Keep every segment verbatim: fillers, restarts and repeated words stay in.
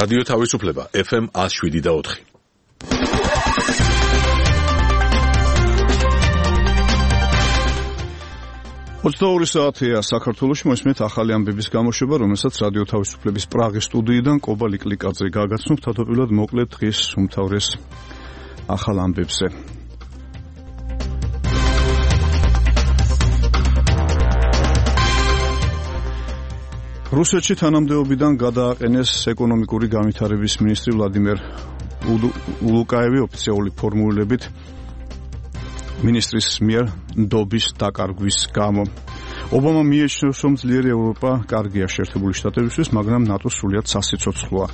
რადიო თავისუფლება ეფ ემ ათს შვიდი და ოთხი. ოცდაორი საათია საქართველოში, მოსმენთ ახალი ამბების გამოშვება, რომელსაც რადიო თავისუფლების პრაღის სტუდიიდან კობა ლიკლიკაძე გაგაცნობთ. თავდაპირველად მოკლედ დღის უმთავრეს ახალ ამბებზე. რუსეთში თანამდებობიდან გადააყენეს ეკონომიკური განვითარების მინისტრი ვლადიმერ ულუკაევი ოფიციალური ფორმულებით მინისტრის მიერ ნდობის დაკარგვის გამო. ობამა მიიჩნევს, რომ ძლიერი ევროპა კარგია შეერთებული შტატებისთვის, მაგრამ ნატოს სრულიად სასიცოცხლოა.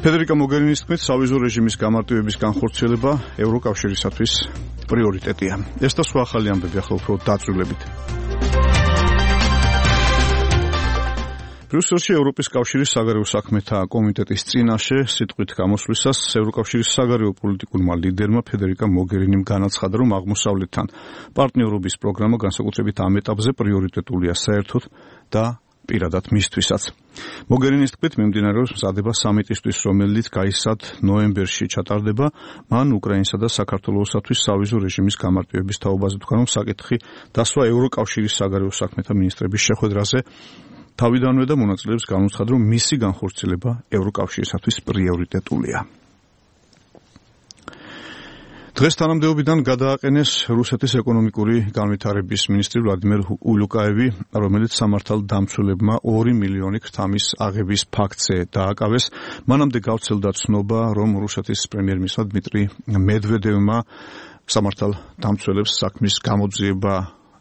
ფედერიკა მოგერინის თქმით, სავიზო რეჟიმის გამარტივების განხორციელება ევროკავშირისათვის პრიორიტეტია. ეს და სხვა ახალი ამბები ახლა უფრო დაწვრილებით. ბრიუსელში ევროპის კავშირის საგარეო საქმეთა კომიტეტის წინაშე სიტყვით გამოსვლისას ევროკავშირის საგარეო პოლიტიკურმა ლიდერმა ფედერიკა მოგერინიმ განაცხადა, რომ აღმოსავლეთთან პარტნიორობის პროგრამა განსაკუთრებით ამ ეტაპზე პრიორიტეტულია საერთოდ და პირადად მისთვისაც. მოგერინის თქმით, მიმდინარეობს მზადება სამიტისთვის, რომელიც გაისად ნოემბერში ჩატარდება. მან უკრაინსა და საქართველოსათვის სავიზო რეჟიმის გამარტივების თაობაზე თქვა, რომ საკითხი დასვა ევროკავშირის საგარეო საქმეთა მინისტრების შეხვედრაზე თავიდანვე და მონაწილეებს განუცხადა, რომ მისი განხორციელება ევროკავშირისათვის პრიორიტეტულია. დღეს თანამდებობიდან გადააყენეს რუსეთის ეკონომიკური განვითარების მინისტრი ვლადიმერ ულუკაევი, რომელიც სამართალდამცველებმა ორი მილიონი ქრთამის აღების ფაქტზე დააკავეს. მანამდე გავრცელდა ცნობა, რომ რუსეთის პრემიერ-მინისტრმა დმიტრი მედვედევმა სამართალდამცველებს საქმის გამოძიება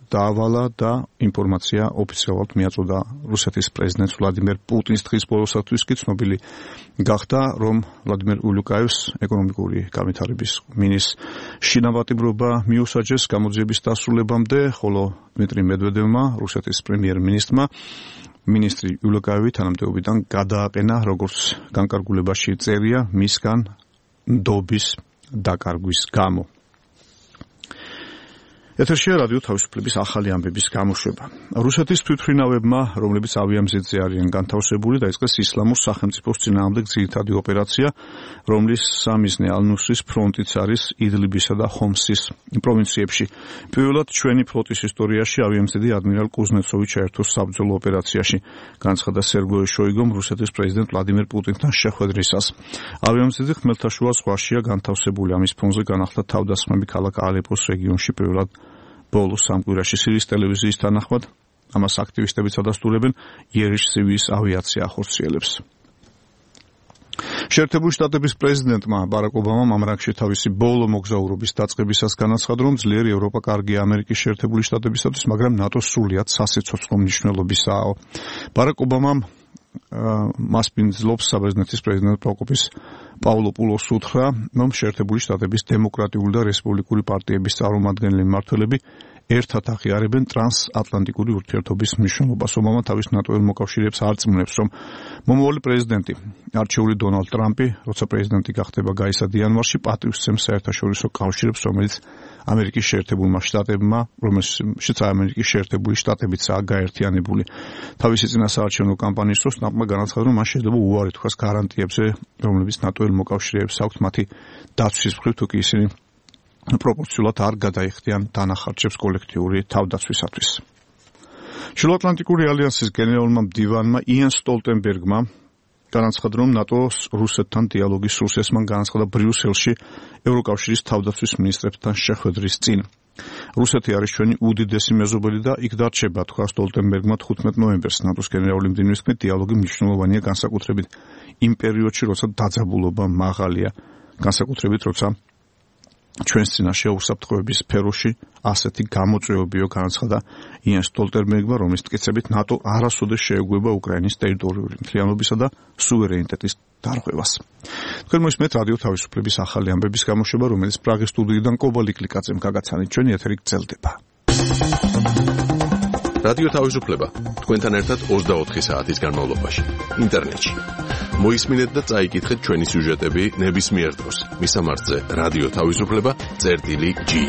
დაავალა და ინფორმაცია ოფიციალურად მიაწოდა რუსეთის პრეზიდენტს ვლადიმერ პუტინს. დღის ბოლოსათვის კი ცნობილი გახდა, რომ ვლადიმერ ულუკაევს ეკონომიკური განვითარების მინისტრს შინავატიბრობა მიუსაჯეს გამოძიების დასრულებამდე, ხოლო დმიტრი მედვედევმა, რუსეთის პრემიერ-მინისტრმა, მინისტრი ულუკაევი თანამდებობიდან გადააყენა, როგორც განკარგულებაში წერია, მისგან ნდობის დაკარგვის გამო. ეთერშია რადიო თავისუფლების ახალი ამბების გამოშვება. რუსეთის თვითმფრინავებმა, რომლებიც ავიამზედზე არიან განთავსებული, დაიწყეს ისლამურ სახელმწიფოს წინააღმდეგ ძირითადი ოპერაცია, რომლის სამიზნე ალ-ნუსრის ფრონტიც არის იდლიბისა და ხომსის პროვინციებში. პირველად ჩვენი ფლოტის ისტორიაში ავიამზედი ადმირალ კუზნეცოვი ჩაერთო საბრძოლო ოპერაციაში, განცხადა სერგეი შოიგომ რუსეთის პრეზიდენტ ვლადიმერ პუტინთან შეხვედრისას. ავიამზედი ხმელთაშუა ზღვაშია განთავსებული. ამის ფონზე განახლდა თავდასხმები ქალაქ ალეპოს რეგიონში პირველად ბოლო სამ კვირაში. სირიის ტელევიზიის თანახმად, ამას აქტივისტები წადასტურებენ, იერიშ-სირიის ავიაცია ახორციელებს. შეერთებული შტატების პრეზიდენტმა ბარაკ ობამამ ამ რანგში თავისი ბოლო მოგზაურობის დაწყებისას განაცხადა, რომ ძლიერი ევროპა კარგია ამერიკის შეერთებული შტატებისათვის, მაგრამ ნატოს სრულიად სასიცოცხლო მნიშვნელობისაა. ბარაკ ობამამ მას პინძლობს საბერძნეთის პრეზიდენტ პროკოპის პავლოპულოს უთხრა, რომ შეერთებული შტატების დემოკრატიული და რესპუბლიკური პარტიების წარმომადგენელი მმართველები ერთად აღიარებენ ტრანსატლანტიკური ურთიერთობის მნიშვნელობას. ობამა თავის ნატოელ მოკავშირეებს არწმუნებს, რომ მომავალი პრეზიდენტი, არჩეული დონალდ ტრამპი, როცა პრეზიდენტი გახდება გაისად იანვარში, პატივს სცემს საერთაშორისო კავშირებს, რომელიც ამერიკის შეერთებულმა შტატებმა, რომელშიც ამერიკის შეერთებული შტატებიცაა გაერთიანებული. თავისი წინასაარჩევნო კამპანიის დროს ტრამპმა განაცხადა, რომ მას შეიძლება უარი თქვას გარანტიებზე, რომლებიც ნატოელ მოკავშირეებს აქვთ მათი დაცვის მხრივ, თუ კი ისინი პროპორციულად არ გადაიხდიან დანახარჯებს კოლექტიური თავდაცვისათვის. შუაატლანტიკური ალიანსის გენერალურმა მდივანმა იან სტოლტენბერგმა განაცხადა, რომ ნატოს რუსეთთან დიალოგის სურს მან განაცხადა ბრიუსელში ევროკავშირის თავდაცვის მინისტრებთან შეხვედრის წინ. რუსეთი არის ჩვენი უდიდესი მეზობელი და იქ დარჩება, თქვა სტოლტენბერგმა თხუთმეტ ნოემბერს. ნატოს გენერალური მდივნის თქმით, დიალოგი მნიშვნელოვანია განსაკუთრებით იმ პერიოდში, როცა დაძაბულობა მაღალია, განსაკუთრებით როცა ჩვენს წინაშე უსაფრთხოების სფეროში ასეთი გამოწვევებიო, განაცხადა იან სტოლტენბერგმა, რომლის მტკიცებით ნატო არასოდეს შეეგუება უკრაინის ტერიტორიული მთლიანობისა და სუვერენიტეტის დარღვევას. თქვენ მოსმენთ რადიო თავისუფლების ახალი ამბების გამოშვება, რომელიც პრაღის სტუდიიდან კობა ლიკლიკაძემ გაგაცანით. ჩვენი ეთერი გრძელდება. რადიო თავისუფლება თქვენთან ერთად ოცდაოთხი საათის განმავლობაში ინტერნეტში. მოისმინეთ და წაიკითხეთ ჩვენი სიუჟეტები ნებისმიერ დროს. მისამართზე რადიო თავისუფლება წერტილი ჯი.